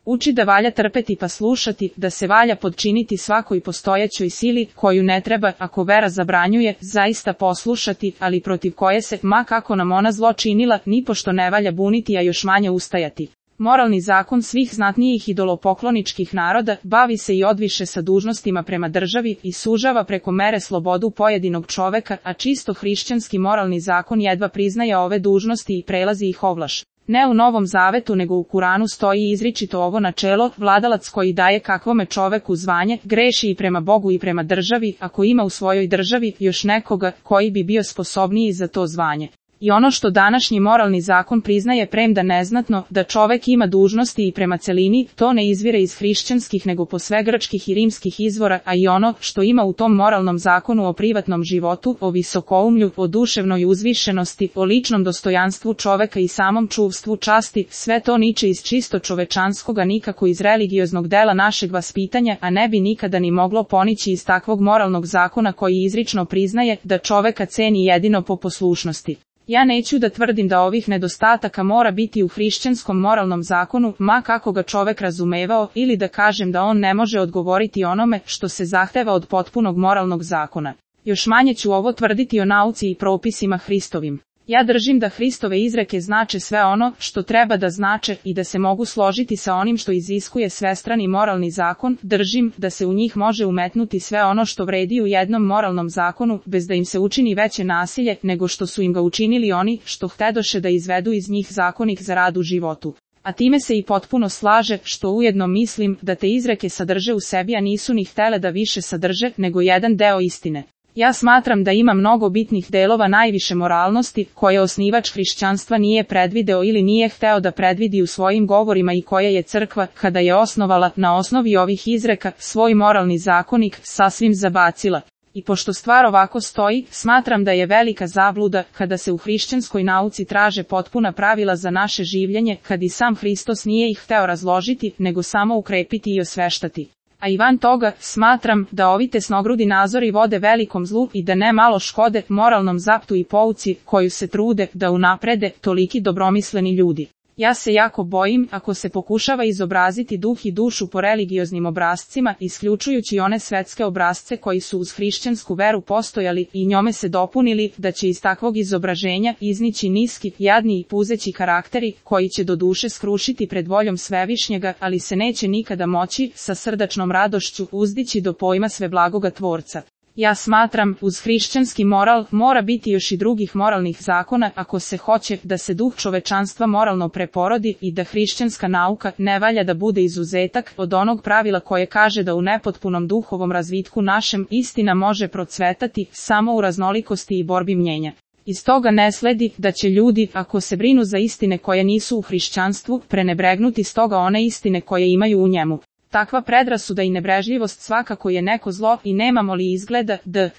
Uči da valja trpeti pa slušati, da se valja podčiniti svakoj postojećoj sili, koju ne treba, ako vera zabranjuje, zaista poslušati, ali protiv koje se, ma kako nam ona zlo činila, nipošto ne valja buniti, a još manje ustajati. Moralni zakon svih znatnijih idolopokloničkih naroda bavi se i odviše sa dužnostima prema državi i sužava preko mere slobodu pojedinog čoveka, a čisto hrišćanski moralni zakon jedva priznaje ove dužnosti i prelazi ih ovlaš. Ne u Novom Zavetu nego u Kuranu stoji izričito ovo načelo: vladalac koji daje kakvome čoveku zvanje, greši i prema Bogu i prema državi, ako ima u svojoj državi još nekoga koji bi bio sposobniji za to zvanje. I ono što današnji moralni zakon priznaje premda neznatno, da čovek ima dužnosti i prema celini, to ne izvire iz hrišćanskih nego posve grčkih i rimskih izvora, a i ono što ima u tom moralnom zakonu o privatnom životu, o visokoumlju, o duševnoj uzvišenosti, o ličnom dostojanstvu čoveka i samom čuvstvu časti, sve to niče iz čisto čovečanskoga, nikako iz religioznog dela našeg vaspitanja, a ne bi nikada ni moglo ponići iz takvog moralnog zakona koji izrično priznaje da čoveka ceni jedino po poslušnosti. Ja neću da tvrdim da ovih nedostataka mora biti u hrišćanskom moralnom zakonu, ma kako ga čovek razumevao, ili da kažem da on ne može odgovoriti onome što se zahteva od potpunog moralnog zakona. Još manje ću ovo tvrditi o nauci i propisima Hristovim. Ja držim da Hristove izreke znače sve ono što treba da znače i da se mogu složiti sa onim što iziskuje svestrani moralni zakon, držim da se u njih može umetnuti sve ono što vredi u jednom moralnom zakonu, bez da im se učini veće nasilje nego što su im ga učinili oni što htedoše da izvedu iz njih zakonik za rad u životu. A time se i potpuno slaže, što ujedno mislim da te izreke sadrže u sebi, a nisu ni htele da više sadrže nego jedan deo istine. Ja smatram da ima mnogo bitnih delova najviše moralnosti, koje osnivač hrišćanstva nije predvideo ili nije hteo da predvidi u svojim govorima i koje je crkva, kada je osnovala na osnovi ovih izreka svoj moralni zakonik, sasvim zabacila. I pošto stvar ovako stoji, smatram da je velika zabluda kada se u hrišćanskoj nauci traže potpuna pravila za naše življenje, kad i sam Hristos nije ih hteo razložiti, nego samo ukrepiti i osveštati. A i van toga, smatram da ovi tesnogrudi nazori vode velikom zlu i da ne malo škode moralnom zaptu i pouci koju se trude da unaprede toliki dobromisleni ljudi. Ja se jako bojim, ako se pokušava izobraziti duh i dušu po religioznim obrascima, isključujući one svetske obrasce koji su uz hrišćansku veru postojali i njome se dopunili, da će iz takvog izobraženja iznići niski, jadni i puzeći karakteri, koji će do duše skrušiti pred voljom Svevišnjega, ali se neće nikada moći, sa srdačnom radošću, uzdići do pojma sveblagoga Tvorca. Ja smatram, uz hrišćanski moral mora biti još i drugih moralnih zakona ako se hoće da se duh čovečanstva moralno preporodi i da hrišćanska nauka ne valja da bude izuzetak od onog pravila koje kaže da u nepotpunom duhovom razvitku našem istina može procvetati samo u raznolikosti i borbi mnjenja. Iz toga ne sledi da će ljudi, ako se brinu za istine koje nisu u hrišćanstvu, prenebregnuti stoga one istine koje imaju u njemu. Takva predrasuda i nebrežljivost svakako je neko zlo i nemamo li izgleda da